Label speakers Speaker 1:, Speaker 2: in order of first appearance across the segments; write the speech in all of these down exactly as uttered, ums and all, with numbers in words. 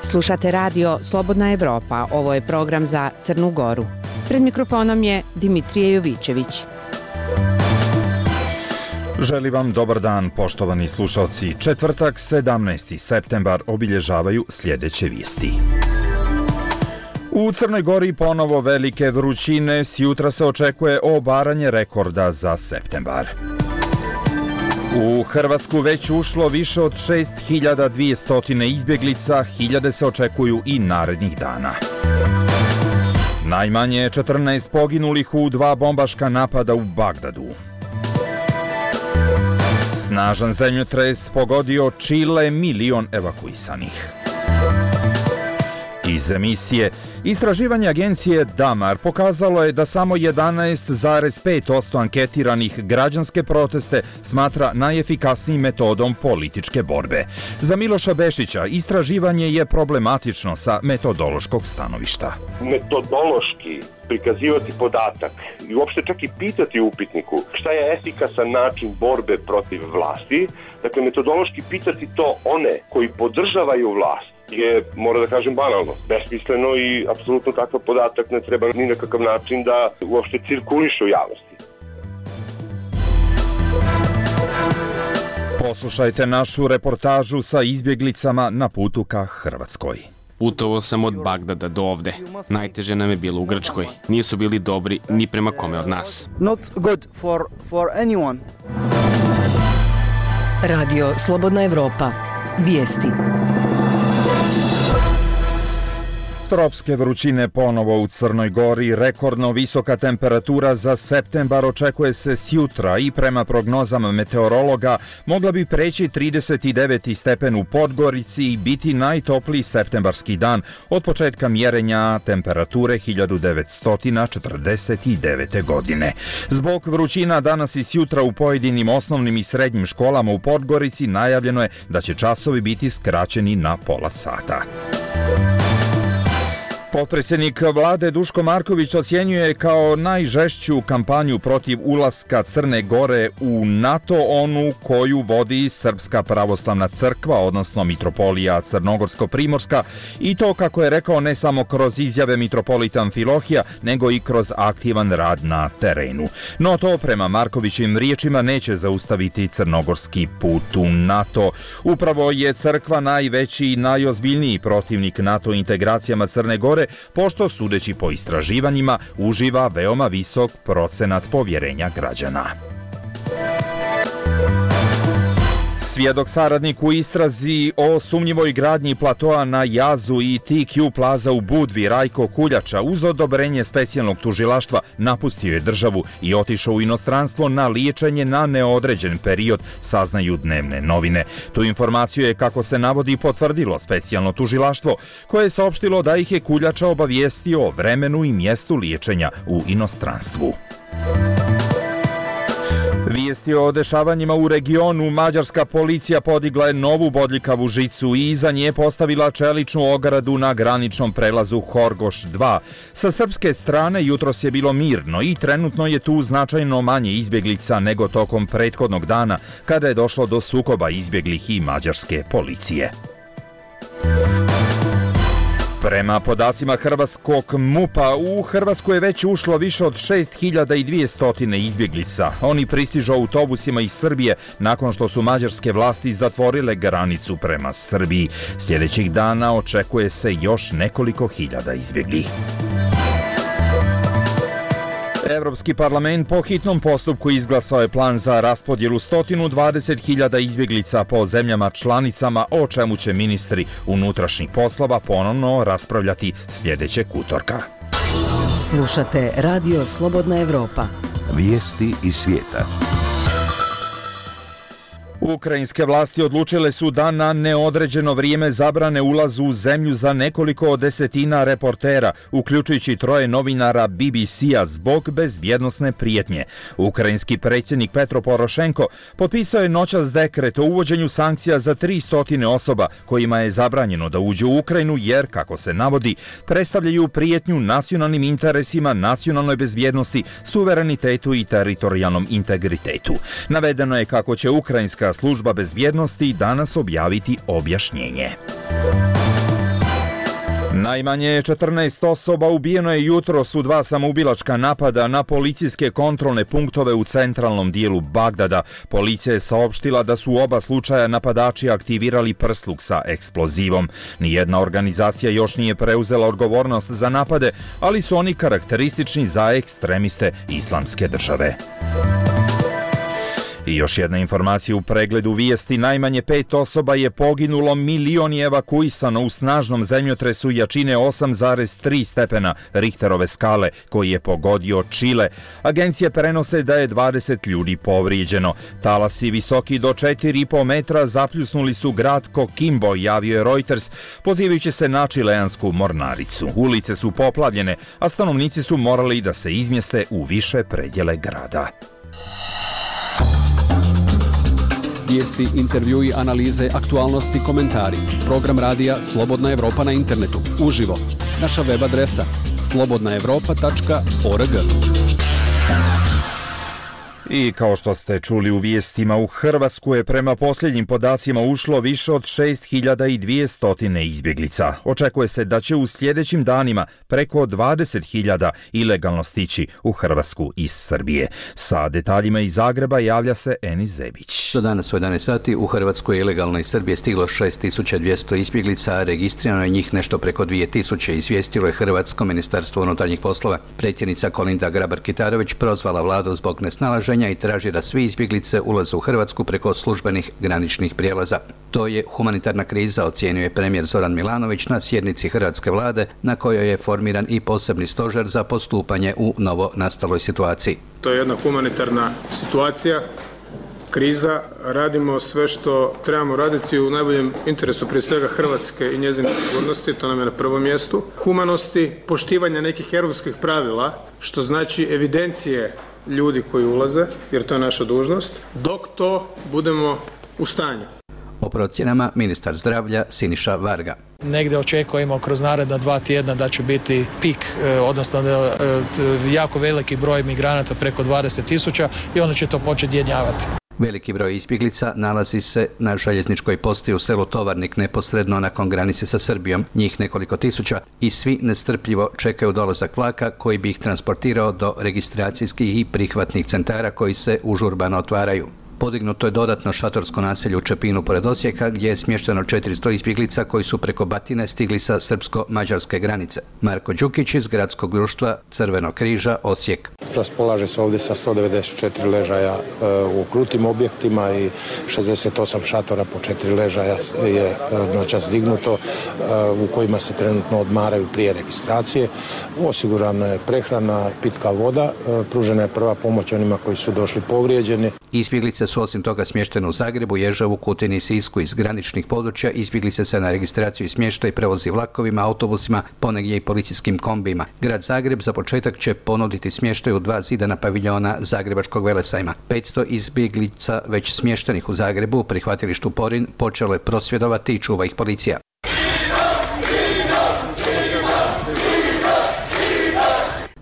Speaker 1: Slušate radio Slobodna Evropa, ovo je program za Crnu Goru. Pred mikrofonom je Dimitrije Jovićević.
Speaker 2: Želim vam dobar dan, poštovani slušalci. Četvrtak, sedamnaesti septembar, obilježavaju sljedeće vijesti. U Crnoj Gori ponovo velike vrućine, sjutra se očekuje obaranje rekorda za septembar. U Hrvatsku već ušlo više od šest hiljada dvjesto izbjeglica, hiljade se očekuju i narednih dana. Najmanje četrnaest poginulih u dva bombaška napada u Bagdadu. Snažan zemljotres pogodio Čile, milion evakuisanih. Iz emisije istraživanje agencije Damar pokazalo je da samo jedanaest zarez pet posto anketiranih građanske proteste smatra najefikasnijim metodom političke borbe. Za Miloša Bešića istraživanje je problematično sa metodološkog stanovišta.
Speaker 3: Metodološki prikazivati podatak i uopšte čak i pitati u upitniku šta je efikasan način borbe protiv vlasti, dakle metodološki pitati to one koji podržavaju vlast je, mora da kažem, banalno, besmisleno i apsolutno takav podatak ne treba ni na kakav način da uopšte cirkuliše u javnosti.
Speaker 2: Poslušajte našu reportažu sa izbjeglicama na putu ka Hrvatskoj.
Speaker 4: Putovao sam od Bagdada do ovde. Najteže nam je bilo u Grčkoj. Nisu bili dobri ni prema kome od nas.
Speaker 5: Not good for, for anyone.
Speaker 6: Radio Slobodna Evropa. Vijesti.
Speaker 2: Tropske vrućine ponovo u Crnoj Gori, rekordno visoka temperatura za septembar očekuje se sjutra i prema prognozama meteorologa mogla bi preći trideset devet stepen u Podgorici i biti najtopliji septembarski dan od početka mjerenja temperature hiljadu devetsto četrdeset devete. godine. Zbog vrućina danas i sjutra u pojedinim osnovnim i srednjim školama u Podgorici najavljeno je da će časovi biti skraćeni na pola sata. Potpredsjednik vlade Duško Marković ocjenjuje kao najžešću kampanju protiv ulaska Crne Gore u NATO onu koju vodi Srpska pravoslavna crkva, odnosno Mitropolija Crnogorsko-Primorska, i to, kako je rekao, ne samo kroz izjave mitropolita Amfilohija, nego i kroz aktivan rad na terenu. No to, prema Markovićim riječima, neće zaustaviti crnogorski put u NATO. Upravo je crkva najveći i najozbiljniji protivnik NATO integracijama Crne Gore, pošto, sudeći po istraživanjima, uživa veoma visok procenat povjerenja građana. Svjedok saradnik u istrazi o sumnjivoj gradnji platoa na Jazu i T Q Plaza u Budvi, Rajko Kuljača, uz odobrenje specijalnog tužilaštva napustio je državu i otišao u inostranstvo na liječenje na neodređen period, saznaju dnevne novine. Tu informaciju je, kako se navodi, potvrdilo specijalno tužilaštvo, koje je saopštilo da ih je Kuljača obavijestio o vremenu i mjestu liječenja u inostranstvu. Vijesti o dešavanjima u regionu. Mađarska policija podigla je novu bodljikavu žicu i iza nje postavila čeličnu ogradu na graničnom prelazu Horgoš dva. Sa srpske strane jutros je bilo mirno i trenutno je tu značajno manje izbjeglica nego tokom prethodnog dana, kada je došlo do sukoba izbjeglih i mađarske policije. Prema podacima hrvatskog MUP-a, u Hrvatsku je već ušlo više od šest hiljada dvjesto izbjeglica. Oni pristižu autobusima iz Srbije nakon što su mađarske vlasti zatvorile granicu prema Srbiji. Sljedećih dana očekuje se još nekoliko hiljada izbjeglih. Evropski parlament po hitnom postupku izglasao je plan za raspodjelu sto dvadeset hiljada izbjeglica po zemljama članicama, o čemu će ministri unutrašnjih poslova ponovno raspravljati sljedećeg utorka.
Speaker 6: Slušate radio Slobodna Evropa.
Speaker 7: Vijesti iz svijeta.
Speaker 2: Ukrajinske vlasti odlučile su da na neodređeno vrijeme zabrane ulazu u zemlju za nekoliko desetina reportera, uključujući troje novinara B B C-a, zbog bezbjednosne prijetnje. Ukrajinski predsjednik Petro Porošenko potpisao je noćas dekret o uvođenju sankcija za tristo osoba kojima je zabranjeno da uđu u Ukrajinu jer, kako se navodi, predstavljaju prijetnju nacionalnim interesima, nacionalnoj bezbjednosti, suverenitetu i teritorijalnom integritetu. Navedeno je kako će ukrajinska služba bezbjednosti danas objaviti objašnjenje. Najmanje četrnaest osoba ubijeno je jutros u dva samoubilačka napada na policijske kontrolne punktove u centralnom dijelu Bagdada. Policija je saopštila da su u oba slučaja napadači aktivirali prsluk sa eksplozivom. Nijedna organizacija još nije preuzela odgovornost za napade, ali su oni karakteristični za ekstremiste Islamske države. I još jedna informacija u pregledu vijesti. Najmanje pet osoba je poginulo, milion je evakuisano u snažnom zemljotresu jačine osam zarez tri stepena Richterove skale koji je pogodio Čile. Agencije prenose da je dvadeset ljudi povrijeđeno. Talasi visoki do četiri i po metra zapljusnuli su grad Coquimbo, javio je Reuters, pozivajući se na čileansku mornaricu. Ulice su poplavljene, a stanovnici su morali da se izmjeste u više predjele grada.
Speaker 8: Vijesti, intervjui, analize, aktualnosti, komentari. Program radija Slobodna Evropa na internetu. Uživo. Naša web adresa slobodna evropa tačka org.
Speaker 2: I kao što ste čuli u vijestima, u Hrvatsku je prema posljednjim podacima ušlo više od šest hiljada dvjesto izbjeglica. Očekuje se da će u sljedećim danima preko dvadeset hiljada ilegalno stići u Hrvatsku iz Srbije. Sa detaljima iz Zagreba javlja se Enis Zebić.
Speaker 9: Do danas u jedanaest sati u Hrvatskoj ilegalno iz Srbije stiglo šest tisuća dvjesto izbjeglica, a registrirano je njih nešto preko dvije tisuće, izvijestilo je Hrvatsko ministarstvo unutarnjih poslova. Predsjednica Kolinda Grabar-Kitarović prozvala vladu zbog nesnalaženja i traži da svi izbjeglice ulaze u Hrvatsku preko službenih graničnih prijelaza. To je humanitarna kriza, ocijenio je premijer Zoran Milanović na sjednici hrvatske vlade na kojoj je formiran i posebni stožer za postupanje u novo nastaloj situaciji.
Speaker 10: To je jedna humanitarna situacija, kriza, radimo sve što trebamo raditi u najboljem interesu prije svega Hrvatske i njezine sigurnosti, to nam je na prvom mjestu, humanosti, poštivanja nekih europskih pravila, što znači evidencije ljudi koji ulaze, jer to je naša dužnost, dok to budemo u stanju.
Speaker 9: O procjenama ministar zdravlja Siniša Varga.
Speaker 11: Negdje očekujemo kroz naredna dva tjedna da će biti pik, odnosno jako veliki broj migranata preko dvadeset tisuća i onda će to početi jenjavati.
Speaker 9: Veliki broj izbjeglica nalazi se na željezničkoj postaji u selu Tovarnik neposredno nakon granice sa Srbijom, njih nekoliko tisuća, i svi nestrpljivo čekaju dolazak vlaka koji bi ih transportirao do registracijskih i prihvatnih centara koji se užurbano otvaraju. Podignuto je dodatno šatorsko naselje u Čepinu pored Osijeka gdje je smješteno četiristo izbjeglica koji su preko Batine stigli sa srpsko-mađarske granice. Marko Đukić iz gradskog društva Crvenog križa Osijek.
Speaker 12: Raspolaže se ovdje sa sto devedeset četiri ležaja u krutim objektima i šezdeset osam šatora po četiri ležaja je noćas dignuto u kojima se trenutno odmaraju prije registracije. Osigurana je prehrana, pitka voda, pružena je prva pomoć onima koji su došli povrijeđeni.
Speaker 9: Izbjeglice su osim toga smještene u Zagrebu, Ježevu, Kutini i Sisku. Iz graničnih područja izbjeglice se na registraciju i smještaj prevozi vlakovima, autobusima, ponegdje i policijskim kombijima. Grad Zagreb za početak će ponuditi smještaj u dva zidana paviljona Zagrebačkog velesajma. petsto izbjeglica već smještenih u Zagrebu, prihvatilištu Porin, počelo je prosvjedovati i čuva ih policija.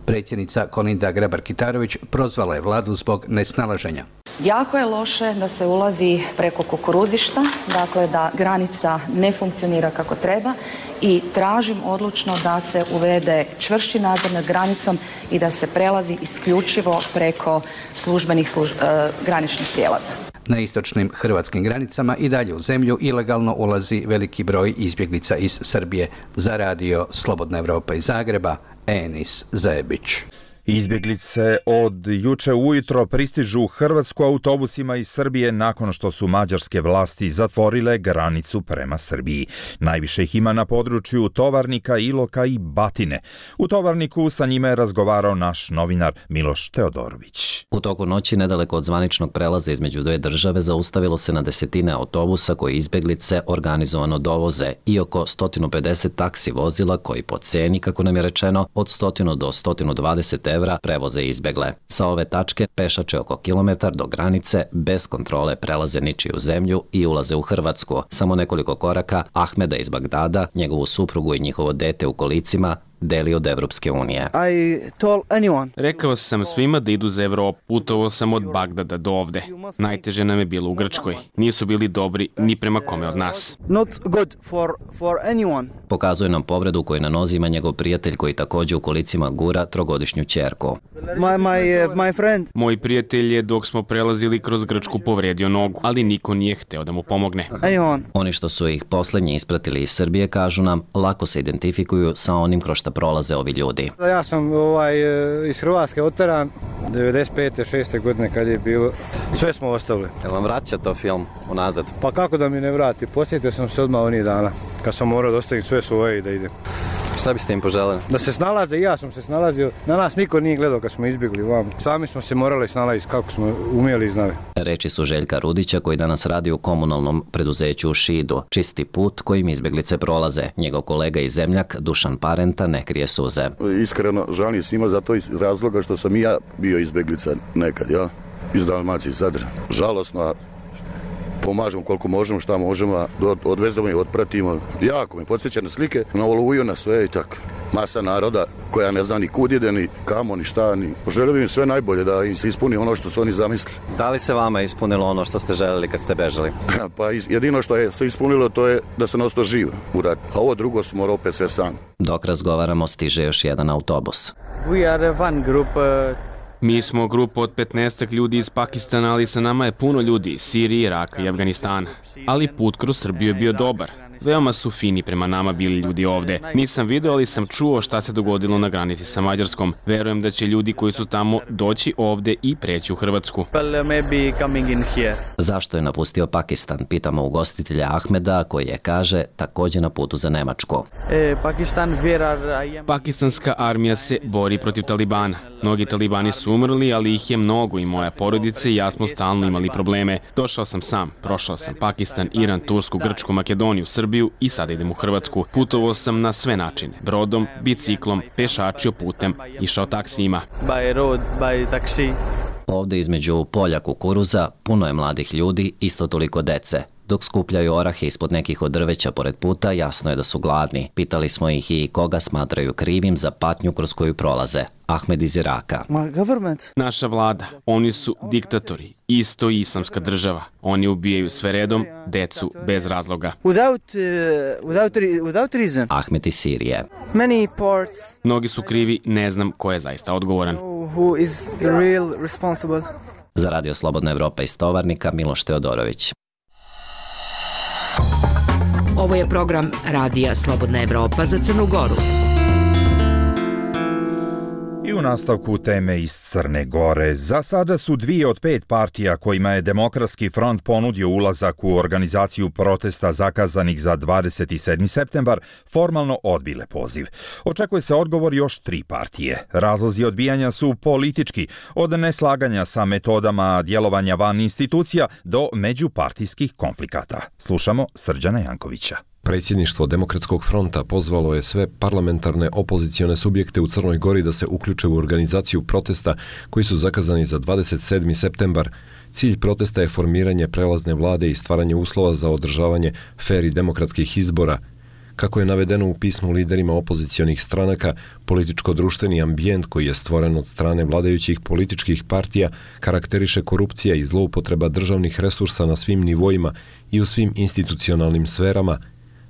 Speaker 9: Predsjednica Kolinda Grabar-Kitarović prozvala je vladu zbog nesnalaženja.
Speaker 13: Jako je loše da se ulazi preko kukuruzišta, dakle da granica ne funkcionira kako treba i tražim odlučno da se uvede čvršći nadzor nad granicom i da se prelazi isključivo preko službenih služ... graničnih prijelaza.
Speaker 9: Na istočnim hrvatskim granicama i dalje u zemlju ilegalno ulazi veliki broj izbjeglica iz Srbije. Za radio Slobodna Evropa iz Zagreba, Enis Zebić.
Speaker 2: Izbjeglice od juče ujutro pristižu u Hrvatsku autobusima iz Srbije nakon što su mađarske vlasti zatvorile granicu prema Srbiji. Najviše ih ima na području Tovarnika, Iloka i Batine. U Tovarniku sa njima je razgovarao naš novinar Miloš Teodorović.
Speaker 14: U toku noći nedaleko od zvaničnog prelaza između dve države zaustavilo se na desetine autobusa koji izbjeglice organizovano dovoze i oko sto pedeset taksi vozila koji po ceni, kako nam je rečeno, od sto do sto dvadeset evra prevoze izbjegle. Sa ove tačke pešače oko kilometar do granice bez kontrole prelaze ničiju zemlju i ulaze u Hrvatsku. Samo nekoliko koraka Ahmeda iz Bagdada, njegovu suprugu i njihovo dete u kolicima deli od Evropske unije.
Speaker 5: I told anyone.
Speaker 4: Rekao sam svima da idu za Evropu. Putovao sam od Bagdada do ovde. Najteže nam je bilo u Grčkoj. Nisu bili dobri ni prema kome od nas.
Speaker 5: Not good for, for anyone.
Speaker 14: Pokazuje nam povredu koju na nozi ima njegov prijatelj koji takođe u kolicima gura trogodišnju ćerku.
Speaker 5: My, my, uh, my friend.
Speaker 4: Moj prijatelj je dok smo prelazili kroz Grčku povredio nogu, ali niko nije hteo da mu pomogne.
Speaker 5: Anyone.
Speaker 14: Oni što su ih poslednji ispratili iz Srbije, kažu nam, lako se identifikuju sa onim kroz šta prolaze ovi ljudi.
Speaker 15: Ja sam ovaj, iz Hrvatske oteran, devedeset pete šeste godine kad je bilo, sve smo ostavili.
Speaker 14: Jel vam vraća to film unazad?
Speaker 15: Pa kako da mi ne vrati, posjetio sam se odmah onih dana, kad sam morao da ostavim sve svoje i da idem.
Speaker 14: Šta biste im poželjeli?
Speaker 15: Da se snalaze, i ja sam se snalazio. Na nas niko nije gledao kad smo izbjegli vam. Sami smo se morali snalaziti kako smo umjeli i znali.
Speaker 14: Reči su Željka Rudića koji danas radi u komunalnom preduzeću u Šidu. Čisti put kojim izbjeglice prolaze. Njegov kolega i zemljak Dušan Parenta ne krije suze.
Speaker 16: Iskreno žalim svima za to iz razloga što sam i ja bio izbjeglica nekad, ja? Iz Dalmacije, iz Zadra. Žalosno, pomažemo koliko možemo, šta možemo, odvezamo i otpratimo. Jako me podsjeća na slike, na Oluju, na sve i tako. Masa naroda koja ne zna ni kud ide, ni kamo, ni šta, ni... Poželim im sve najbolje, da im se ispuni ono što su oni zamislili.
Speaker 14: Da li se vama ispunilo ono što ste željeli kad ste bežali?
Speaker 16: Pa jedino što je se ispunilo to je da se ostao živ u ratu. A ovo drugo smo morali opet sve sam.
Speaker 14: Dok razgovaramo stiže još jedan autobus.
Speaker 5: We are one group... Uh...
Speaker 4: Mi smo grupa od petnaestak ljudi iz Pakistana, ali sa nama je puno ljudi iz Sirije, Iraka i Afganistana. Ali put kroz Srbiju je bio dobar. Veoma su fini prema nama bili ljudi ovde. Nisam video, ali sam čuo šta se dogodilo na granici sa Mađarskom. Verujem da će ljudi koji su tamo doći ovde i preći u Hrvatsku.
Speaker 14: Zašto je napustio Pakistan? Pitamo ugostitelja Ahmeda koji je, kaže, takođe na putu za Nemačku.
Speaker 4: Pakistanska armija se bori protiv Talibana. Mnogi talibani su umrli, ali ih je mnogo i moja porodica i ja smo stalno imali probleme. Došao sam sam, prošao sam Pakistan, Iran, Tursku, Grčku, Makedoniju, Srbiju i sada idem u Hrvatsku. Putovao sam na sve načine. Brodom, biciklom, pešačio putem, išao taksijima.
Speaker 5: By road, by taxi.
Speaker 14: Ovde između polja kukuruza puno je mladih ljudi, isto toliko dece. Dok skupljaju orahe ispod nekih od drveća pored puta, jasno je da su gladni. Pitali smo ih i koga smatraju krivim za patnju kroz koju prolaze. Ahmed iz Iraka.
Speaker 4: Naša vlada, oni su diktatori, isto islamska država. Oni ubijaju sve redom, decu bez razloga.
Speaker 5: Without, uh, without, without reason.
Speaker 14: Ahmed iz Sirije.
Speaker 5: Many parts.
Speaker 4: Mnogi su krivi, ne znam ko je zaista odgovoran.
Speaker 5: Who is the real responsible?
Speaker 14: Za Radio Slobodna Evropa iz Tovarnika, Miloš Teodorović.
Speaker 1: Ovo je program Radija Slobodna Evropa za Crnu Goru.
Speaker 2: I u nastavku teme iz Crne Gore. Za sada su dvije od pet partija kojima je Demokratski front ponudio ulazak u organizaciju protesta zakazanih za dvadeset sedmi septembar formalno odbile poziv. Očekuje se odgovor još tri partije. Razlozi odbijanja su politički, od neslaganja sa metodama djelovanja van institucija do međupartijskih konflikata. Slušamo Srđana Jankovića.
Speaker 17: Predsjedništvo Demokratskog fronta pozvalo je sve parlamentarne opozicione subjekte u Crnoj Gori da se uključe u organizaciju protesta koji su zakazani za dvadeset sedmi septembar. Cilj protesta je formiranje prelazne vlade i stvaranje uslova za održavanje fer i demokratskih izbora. Kako je navedeno u pismu liderima opozicionih stranaka, političko-društveni ambijent koji je stvoren od strane vladajućih političkih partija karakteriše korupcija i zloupotreba državnih resursa na svim nivoima i u svim institucionalnim sferama,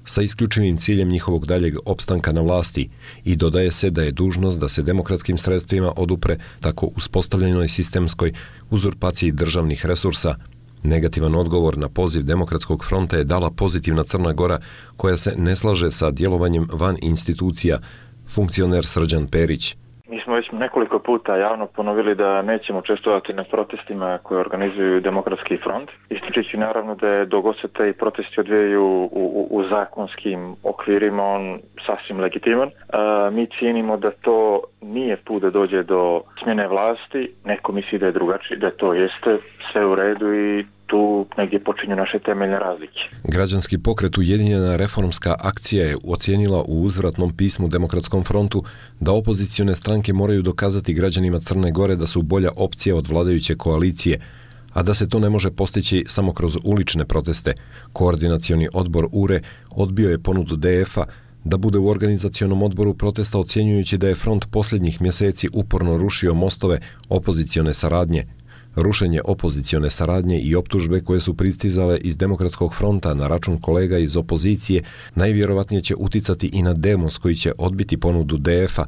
Speaker 17: sa isključivim ciljem njihovog daljeg opstanka na vlasti, i dodaje se da je dužnost da se demokratskim sredstvima odupre tako uspostavljenoj sistemskoj uzurpaciji državnih resursa. Negativan odgovor na poziv Demokratskog fronta je dala pozitivna Crna Gora koja se ne slaže sa djelovanjem van institucija, funkcioner Srđan Perić.
Speaker 18: Mi smo već nekoliko puta javno ponovili da nećemo učestvovati na protestima koje organizuju Demokratski front. Ističući naravno da je dok se te protesti odvijaju u, u, u zakonskim okvirima, on sasvim legitiman. A, mi cijenimo da to nije put da dođe do smjene vlasti. Neko misli da je drugačije, da to jeste sve u redu i tu negdje počinju naše temeljne razlike.
Speaker 17: Građanski pokret Ujedinjena reformska akcija je ocijenila u uzvratnom pismu Demokratskom frontu da opozicione stranke moraju dokazati građanima Crne Gore da su bolja opcija od vladajuće koalicije, a da se to ne može postići samo kroz ulične proteste. Koordinacioni odbor U R E odbio je ponudu D F-a da bude u organizacionom odboru protesta, ocjenjujući da je front posljednjih mjeseci uporno rušio mostove opozicione saradnje. Rušenje opozicione saradnje i optužbe koje su pristizale iz Demokratskog fronta na račun kolega iz opozicije najvjerovatnije će uticati i na Demos koji će odbiti ponudu D F-a,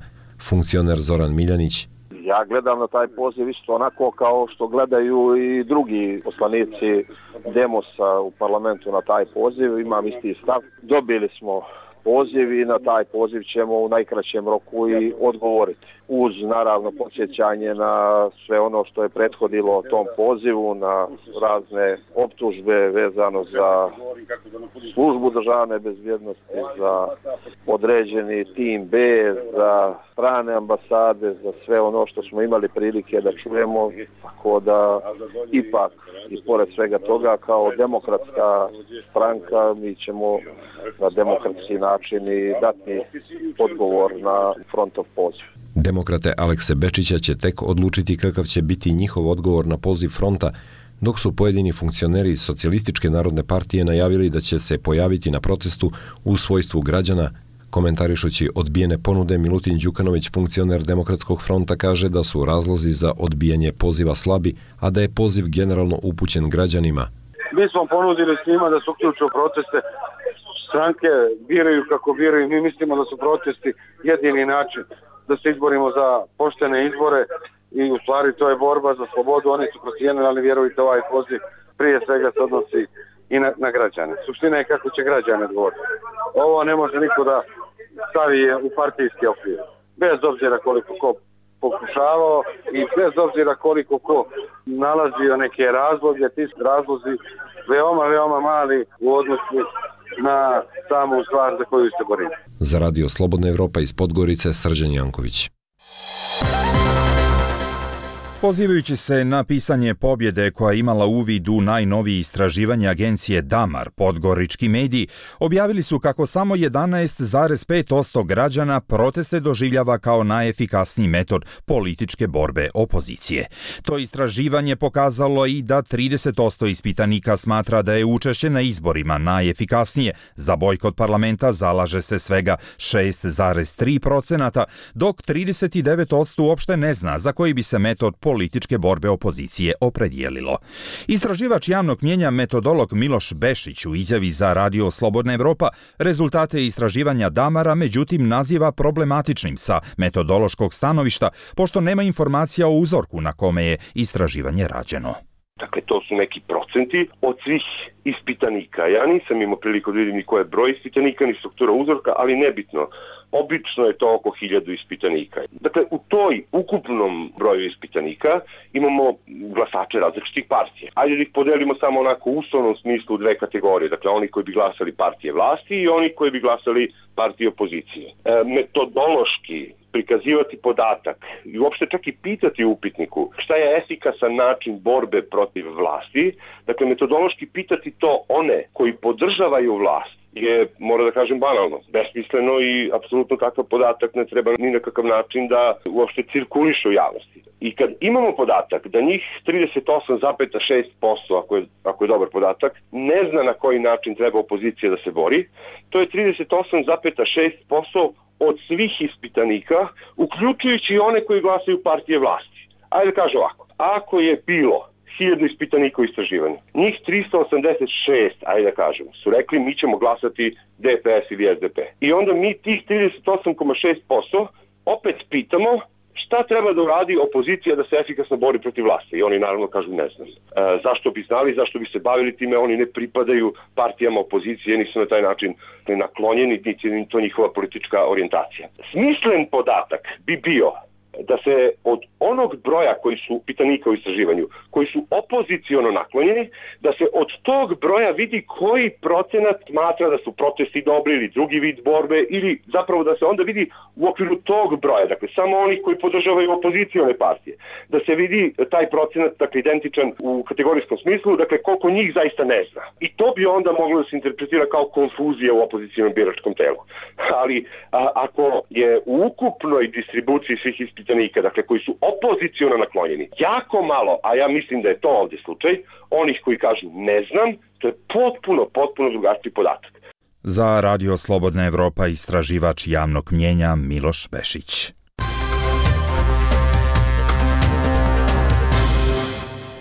Speaker 17: funkcioner Zoran Miljanić.
Speaker 19: Ja gledam na taj poziv isto onako kao što gledaju i drugi poslanici Demosa u parlamentu na taj poziv. Imam isti stav. Dobili smo poziv i na taj poziv ćemo u najkraćem roku i odgovoriti. Uz naravno podsjećanje na sve ono što je prethodilo tom pozivu, na razne optužbe vezano za službu državne bezbjednosti, za određeni tim B, za strane ambasade, za sve ono što smo imali prilike da čujemo, tako da ipak i pored svega toga kao demokratska stranka mi ćemo na demokratski način i dati odgovor na frontov poziv.
Speaker 17: Demokrate Alekse Bečića će tek odlučiti kakav će biti njihov odgovor na poziv fronta, dok su pojedini funkcioneri iz Socijalističke narodne partije najavili da će se pojaviti na protestu u svojstvu građana. Komentarišući odbijene ponude, Milutin Đukanović, funkcioner Demokratskog fronta, kaže da su razlozi za odbijanje poziva slabi, a da je poziv generalno upućen građanima.
Speaker 20: Mi smo ponudili svima da se uključuju proteste. Stranke biraju kako biraju. Mi mislimo da su protesti jedini način da se izborimo za poštene izbore i u stvari to je borba za slobodu. Oni su procijenili, ali vjerujte, ovaj poziv prije svega se odnosi i na, na građane. Suština je kako će građane odgovoriti. Ovo ne može niko da stavi u partijski okvir. Bez obzira koliko ko pokušavao i bez obzira koliko ko nalazio neke razloge, ti razlozi veoma, veoma mali u odnosu na samu stvar za koju se borimo.
Speaker 17: Za Radio Slobodna Evropa iz Podgorice, Srđan Janković.
Speaker 2: Pozivajući se na pisanje pobjede koja je imala uvid u najnovije istraživanje agencije Damar, podgorički mediji objavili su kako samo jedanaest zarez pet posto građana proteste doživljava kao najefikasniji metod političke borbe opozicije. To istraživanje pokazalo i da trideset posto ispitanika smatra da je učešće na izborima najefikasnije. Za bojkot parlamenta zalaže se svega šest zarez tri posto, dok trideset devet posto uopšte ne zna za koji bi se metod političke borbe opozicije opredijelilo. Istraživač javnog mnjenja metodolog Miloš Bešić u izjavi za Radio Slobodna Evropa rezultate istraživanja Damara međutim naziva problematičnim sa metodološkog stanovišta, pošto nema informacija o uzorku na kome je istraživanje rađeno.
Speaker 3: Dakle, to su neki procenti od svih ispitanika. Ja nisam imao priliku da vidim ni koji je broj ispitanika, ni struktura uzorka, ali nebitno. Obično je to oko hiljadu ispitanika. Dakle, u toj ukupnom broju ispitanika imamo glasače različitih partija. Ajde da ih podelimo samo onako u uslovnom smislu u dve kategorije. Dakle, oni koji bi glasali partije vlasti i oni koji bi glasali partije opozicije. E, metodološki prikazivati podatak i uopšte čak i pitati u upitniku šta je efikasan način borbe protiv vlasti, dakle metodološki pitati to one koji podržavaju vlast je, mora da kažem, banalno, besmisleno i apsolutno takav podatak ne treba ni na kakav način da uopšte cirkuliše u javnosti. I kad imamo podatak da njih trideset osam zarez šest posto, ako je, ako je dobar podatak, ne zna na koji način treba opozicija da se bori, to je trideset osam zarez šest posto od svih ispitanika, uključujući i one koji glasaju partije vlasti. Ajde da kažem ovako, ako je bilo hiljadu ispitanika u istraživanju, njih tristo osamdeset šest, ajde da kažemo, su rekli mi ćemo glasati D P S ili S D P. I onda mi tih trideset osam zarez šest posto opet pitamo šta treba da uradi opozicija da se efikasno bori protiv vlasti. I oni naravno kažu ne znam. E, zašto bi znali, zašto bi se bavili time, oni ne pripadaju partijama opozicije, nisu na taj način naklonjeni, niti je to njihova politička orijentacija. Smislen podatak bi bio da se od onog broja koji su pitanika u istraživanju, koji su opoziciono naklonjeni, da se od tog broja vidi koji procenat smatra da su protesti dobri ili drugi vid borbe, ili zapravo da se onda vidi u okviru tog broja, dakle samo oni koji podržavaju opozicione partije, da se vidi taj procenat, dakle identičan u kategorijskom smislu, dakle koliko njih zaista ne zna. I to bi onda moglo da se interpretira kao konfuzija u opozicionom biračkom telu. Ali a, ako je u ukupnoj distribuciji svih ispitanika, dakle koji su opoziciono naklonjeni, jako malo, a ja mislim da je to ovdje slučaj, onih koji kažu ne znam, to je potpuno, potpuno drugačiji podatak.
Speaker 2: Za Radio Slobodna Evropa istraživač javnog mnjenja Miloš Bešić.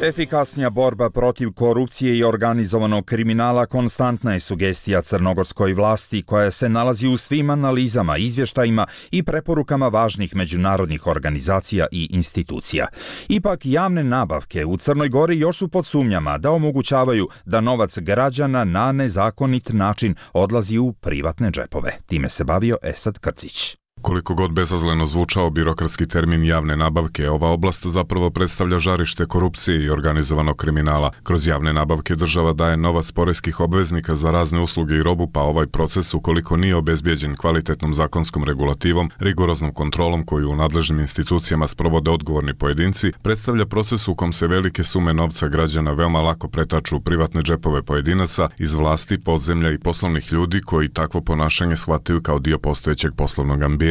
Speaker 2: Efikasnija borba protiv korupcije i organizovanog kriminala konstantna je sugestija crnogorskoj vlasti koja se nalazi u svim analizama, izvještajima i preporukama važnih međunarodnih organizacija i institucija. Ipak javne nabavke u Crnoj Gori još su pod sumnjama da omogućavaju da novac građana na nezakonit način odlazi u privatne džepove. Time se bavio Esad Krcić.
Speaker 21: Koliko god bezazleno zvučao birokratski termin javne nabavke, ova oblast zapravo predstavlja žarište korupcije i organizovanog kriminala. Kroz javne nabavke država daje novac poreskih obveznika za razne usluge i robu, pa ovaj proces, ukoliko nije obezbijeđen kvalitetnom zakonskom regulativom, rigoroznom kontrolom koju u nadležnim institucijama sprovode odgovorni pojedinci, predstavlja proces u kom se velike sume novca građana veoma lako pretaču u privatne džepove pojedinaca iz vlasti, podzemlja i poslovnih ljudi koji takvo ponašanje shvataju kao dio postojećeg poslovnog ambijenta.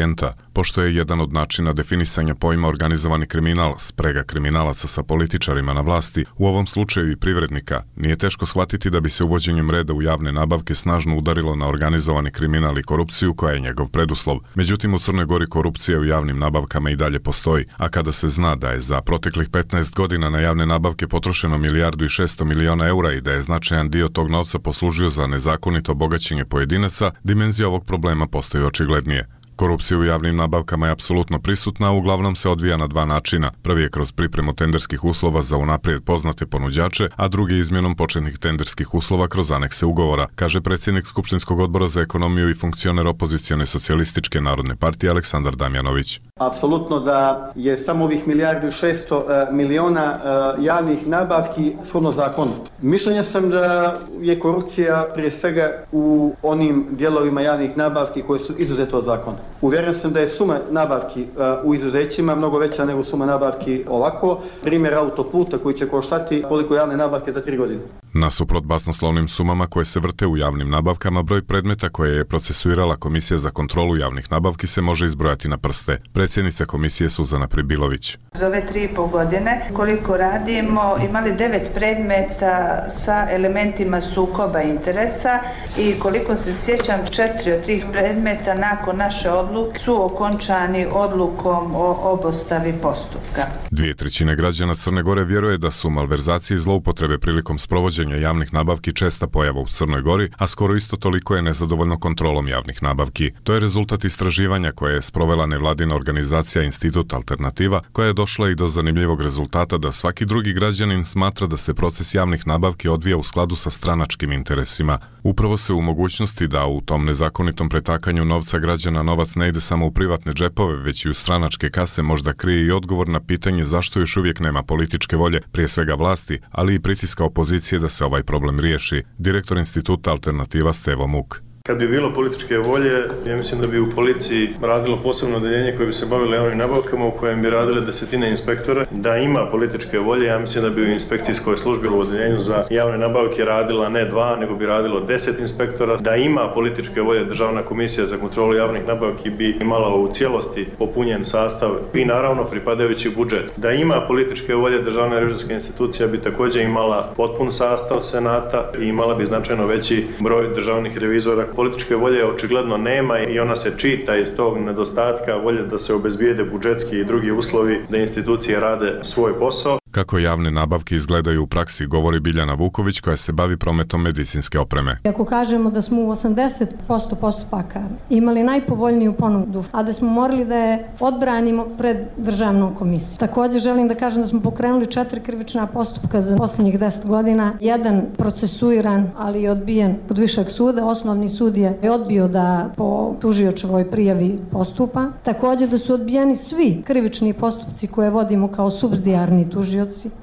Speaker 21: Pošto je jedan od načina definisanja pojma organizovani kriminal sprega kriminalaca sa političarima na vlasti, u ovom slučaju i privrednika, nije teško shvatiti da bi se uvođenjem reda u javne nabavke snažno udarilo na organizovani kriminal i korupciju koja je njegov preduslov. Međutim, u Crnoj Gori korupcija u javnim nabavkama i dalje postoji, a kada se zna da je za proteklih petnaest godina na javne nabavke potrošeno milijardu i šesto miliona eura i da je značajan dio tog novca poslužio za nezakonito bogaćenje pojedinaca, dimenzija ovog problema postaje očiglednije. Korupcija u javnim nabavkama je apsolutno prisutna, a uglavnom se odvija na dva načina. Prvi je kroz pripremu tenderskih uslova za unaprijed poznate ponuđače, a drugi izmjenom početnih tenderskih uslova kroz anekse ugovora, kaže predsjednik Skupštinskog odbora za ekonomiju i funkcioner opozicione socijalističke narodne partije Aleksandar Damjanović.
Speaker 22: Apsolutno da je samo ovih milijardu i šesto miliona javnih nabavki shodno zakonu. Mišljenja sam da je korupcija prije svega u onim dijelovima javnih nabavki koje su izuzete od zakona. Uvjeren sam da je suma nabavki u izuzećima mnogo veća nego suma nabavki ovako. Primjer autoputa koji će koštati koliko javne nabavke za tri godine.
Speaker 21: Nasuprot basnoslovnim sumama koje se vrte u javnim nabavkama, broj predmeta koje je procesuirala Komisija za kontrolu javnih nabavki se može izbrojati na prste. Predsjednica komisije Suzana Pribilović.
Speaker 23: Za ove tri i pol godine koliko radimo, imali devet predmeta sa elementima sukoba interesa i koliko se sjećam, četiri od tih predmeta nakon naše odluke su okončani odlukom o obustavi postupka.
Speaker 21: Dvije trećine građana Crne Gore vjeruje da su malverzacije i zloupotrebe prilikom sprovođenja javnih nabavki česta pojava u Crnoj Gori, a skoro isto toliko je nezadovoljno kontrolom javnih nabavki. To je rezultat istraživanja koje je sprovela nevladina organizacija Institut Alternativa, koja je došla i do zanimljivog rezultata da svaki drugi građanin smatra da se proces javnih nabavki odvija u skladu sa stranačkim interesima. Upravo se u mogućnosti da u tom nezakonitom pretakanju novca građana novac ne ide samo u privatne džepove, već i u stranačke kase možda krije i odgovor na pitanje zašto još uvijek nema političke volje, prije svega vlasti, ali i pritiska opozicije da se ovaj problem riješi. Direktor Instituta Alternativa Stevo Muk.
Speaker 24: Kad bi bilo političke volje, ja mislim da bi u policiji radilo posebno odeljenje koje bi se bavilo javnim nabavkama u kojem bi radile desetine inspektora. Da ima političke volje, ja mislim da bi u inspekcijskoj službi u odeljenju za javne nabavke radila ne dva, nego bi radilo deset inspektora. Da ima političke volje, Državna komisija za kontrolu javnih nabavki bi imala u cijelosti popunjen sastav i naravno pripadajući budžet. Da ima političke volje, Državna revizorska institucija bi također imala potpun sastav senata i imala bi značajno veći broj državnih revizora. Političke volje očigledno nema i ona se čita iz tog nedostatka volje da se obezbijede budžetski i drugi uslovi da institucije rade svoj posao.
Speaker 21: Kako javne nabavke izgledaju u praksi, govori Biljana Vuković koja se bavi prometom medicinske opreme.
Speaker 25: Ako kažemo da smo u osamdeset posto postupaka imali najpovoljniju ponudu, a da smo morali da je odbranimo pred državnom komisijom. Također želim da kažem da smo pokrenuli četiri krivična postupka za posljednjih deset godina. Jedan procesuiran, ali je odbijen kod višeg suda. Osnovni sud je odbio da po tužiočevoj prijavi postupa. Također da su odbijeni svi krivični postupci koje vodimo kao supsidijarni tužioci.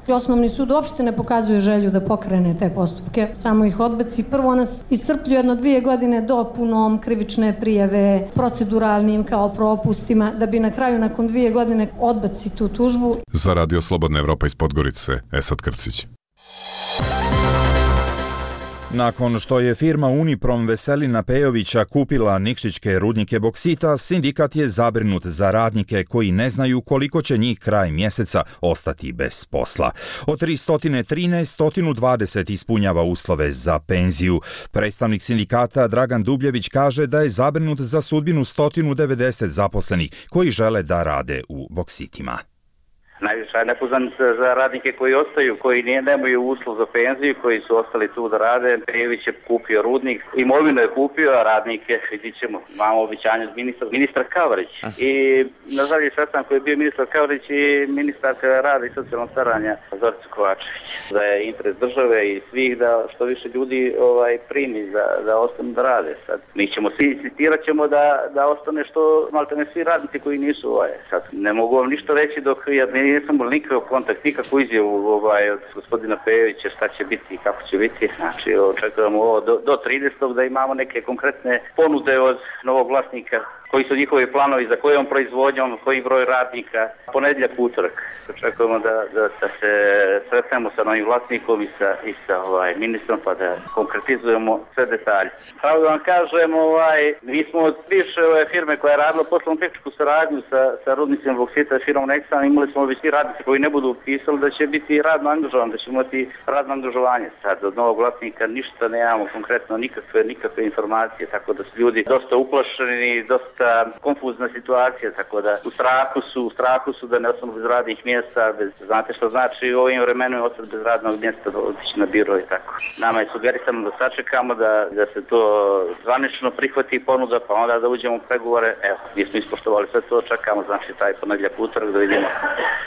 Speaker 25: Osnovni sud uopšte ne pokazuje želju da pokrene te postupke, samo ih odbaci. Prvo nas iscrpljuje jedno dvije godine dopunom krivične prijave, proceduralnim kao propustima, da bi na kraju nakon dvije godine odbaci tu tužbu.
Speaker 21: Za Radio Slobodna Evropa iz Podgorice, Esad Krcić.
Speaker 2: Nakon što je firma Uniprom Veselina Pejovića kupila nikšićke rudnike boksita, sindikat je zabrinut za radnike koji ne znaju koliko će njih kraj mjeseca ostati bez posla. Od tristo trinaest sto dvadeset ispunjava uslove za penziju. Predstavnik sindikata Dragan Dubljević kaže da je zabrinut za sudbinu sto devedeset zaposlenih koji žele da rade u boksitima.
Speaker 6: Najviše je nepoznanica za radnike koji ostaju, koji nije, nemaju uslov za penziju, koji su ostali tu da rade. Pejović je kupio rudnik, imovinu je kupio, a radnike, vidit ćemo, imamo obećanje od ministra, ministra Kavrić. I na zadnji sastanak koji je bio ministar Kavrić i ministarka rada i socijalnog staranja Zorica Kovačević. Da je interes države i svih da što više ljudi ovaj, primi da, da ostanu da rade. Sad, mi ćemo svi insitirat ćemo da, da ostane što malte ne svi radnici koji nisu ovaj. Sad, ne mogu vam ništa reći dok ja ne nisam bol nikakav kontakt, nikakvu izjavu ovaj, od gospodina Pejovića šta će biti i kako će biti. Znači, očekujemo ovo do, do tridesetog da imamo neke konkretne ponude od novog vlasnika, koji su njihovi planovi, za kojom proizvodnjom, koji broj radnika, ponedjeljak, utorak. Očekujemo da, da, da se sretnemo sa novim vlasnikom i sa, i sa ovaj, ministrom pa da konkretizujemo sve detalje. Pravo da vam kažem, ovaj, mi smo od bivše ove firme koja je radila poslovnu tehničku saradnju sa, sa rudnicima boksita i firmom Nexan, imali smo već svi radnici koji ne budu upisali da će biti radno angažovan, da će imati radno angažovanje. Sad od novog vlasnika ništa ne imamo konkretno, nikakve, nikakve informacije, tako da su ljudi dosta uplašeni, dosta konfuzna situacija, tako da u strahu su, u strahu su da ne ostanu bez radnih mjesta, bez, znate što znači u ovim vremenima ostati bez radnog mjesta, otići na biro i tako. Nama je sugerisano da sačekamo da, da se to zvanično prihvati ponuda, pa onda da uđemo u pregovore. Evo, mi smo ispoštovali sve to, čekamo znači taj ponedjeljak, utorak da vidimo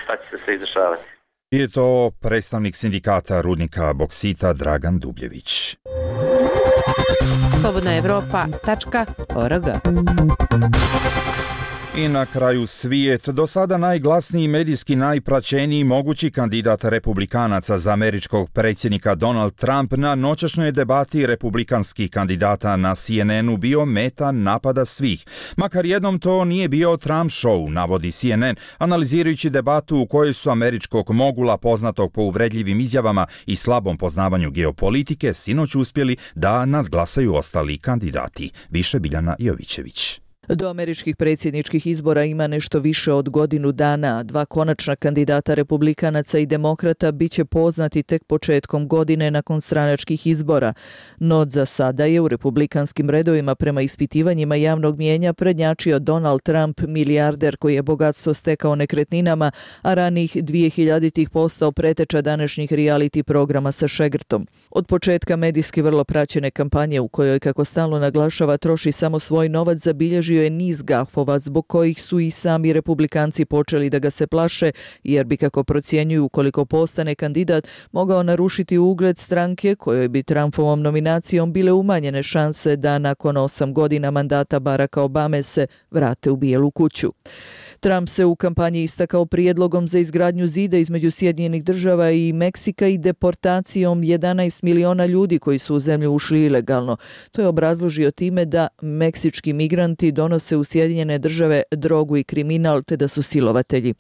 Speaker 6: šta će se sve izdešavati.
Speaker 2: Je to predstavnik sindikata rudnika boksita Dragan Dubljević.
Speaker 1: slobodna evropa tačka org.
Speaker 2: I na kraju svijet, do sada najglasniji medijski najpraćeniji mogući kandidat republikanaca za američkog predsjednika Donald Trump na noćašnjoj debati republikanskih kandidata na C N N-u bio meta napada svih. Makar jednom to nije bio Trump show, navodi C N N, analizirajući debatu u kojoj su američkog mogula poznatog po uvredljivim izjavama i slabom poznavanju geopolitike sinoć uspjeli da nadglasaju ostali kandidati. Više Biljana Jovićević.
Speaker 7: Do američkih predsjedničkih izbora ima nešto više od godinu dana. Dva konačna kandidata republikanaca i demokrata bit će poznati tek početkom godine nakon stranačkih izbora. No za sada je u republikanskim redovima prema ispitivanjima javnog mijenja prednjačio Donald Trump, milijarder koji je bogatstvo stekao nekretninama, a ranih dvije hiljaditih postao preteča današnjih reality programa sa šegrtom. Od početka medijski vrlo praćene kampanje u kojoj, kako stalno naglašava, troši samo svoj novac, zabilježio je niz gafova zbog kojih su i sami republikanci počeli da ga se plaše, jer bi, kako procjenjuju, ukoliko postane kandidat, mogao narušiti ugled stranke kojoj bi Trumpovom nominacijom bile umanjene šanse da nakon osam godina mandata Baracka Obame se vrate u Bijelu kuću. Trump se u kampanji istakao prijedlogom za izgradnju zida između Sjedinjenih država i Meksika i deportacijom jedanaest miliona ljudi koji su u zemlju ušli ilegalno. To je obrazložio time da meksički migranti donose u Sjedinjene države drogu i kriminal, te da su silovatelji.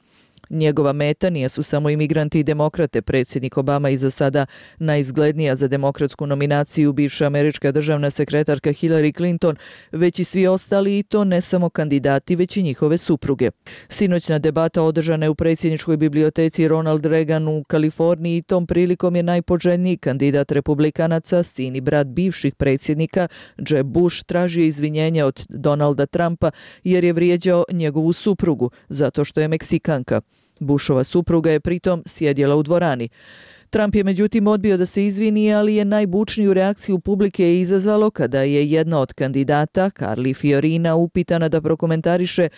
Speaker 7: Njegova meta nisu samo imigranti i demokrate. Predsjednik Obama i za sada najizglednija za demokratsku nominaciju bivša američka državna sekretarka Hillary Clinton, već i svi ostali, i to ne samo kandidati, već i njihove supruge. Sinoćna debata održana je u predsjedničkoj biblioteci Ronald Reagan u Kaliforniji i tom prilikom je najpoželjniji kandidat republikanaca, sin i brat bivših predsjednika, Jeb Bush, tražio izvinjenje od Donalda Trumpa jer je vrijeđao njegovu suprugu zato što je Meksikanka. Bushova supruga je pritom sjedjela u dvorani. Trump je međutim odbio da se izvini, ali je najbučniju reakciju publike izazvalo kada je jedna od kandidata, Carly Fiorina, upitana da prokomentariše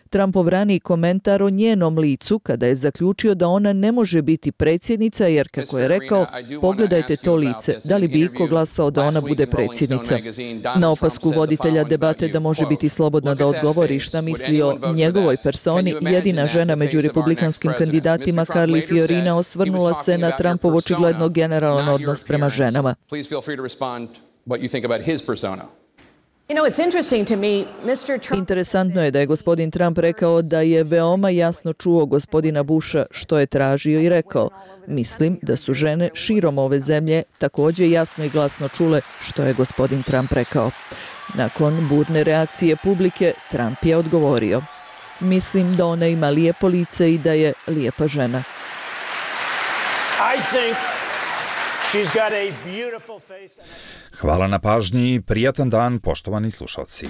Speaker 7: Trumpov raniji komentar o njenom licu kada je zaključio da ona ne može biti predsjednica jer, kako je rekao, pogledajte to lice, da li bi iko glasao da ona bude predsjednica. Na opasku voditelja debate da može biti slobodna da odgovori šta misli o njegovoj personi, jedina žena među republikanskim kandidatima, Carly Fiorina, osvrnula se na Trumpov očigledno generalan odnos prema ženama. Interesantno je da je gospodin Trump rekao da je veoma jasno čuo gospodina Busha što je tražio i rekao: mislim da su žene širom ove zemlje također jasno i glasno čule što je gospodin Trump rekao. Nakon burne reakcije publike, Trump je odgovorio: mislim da ona ima lijepo lice i da je lijepa žena.
Speaker 2: Hvala na pažnji i prijatan dan, poštovani slušalci.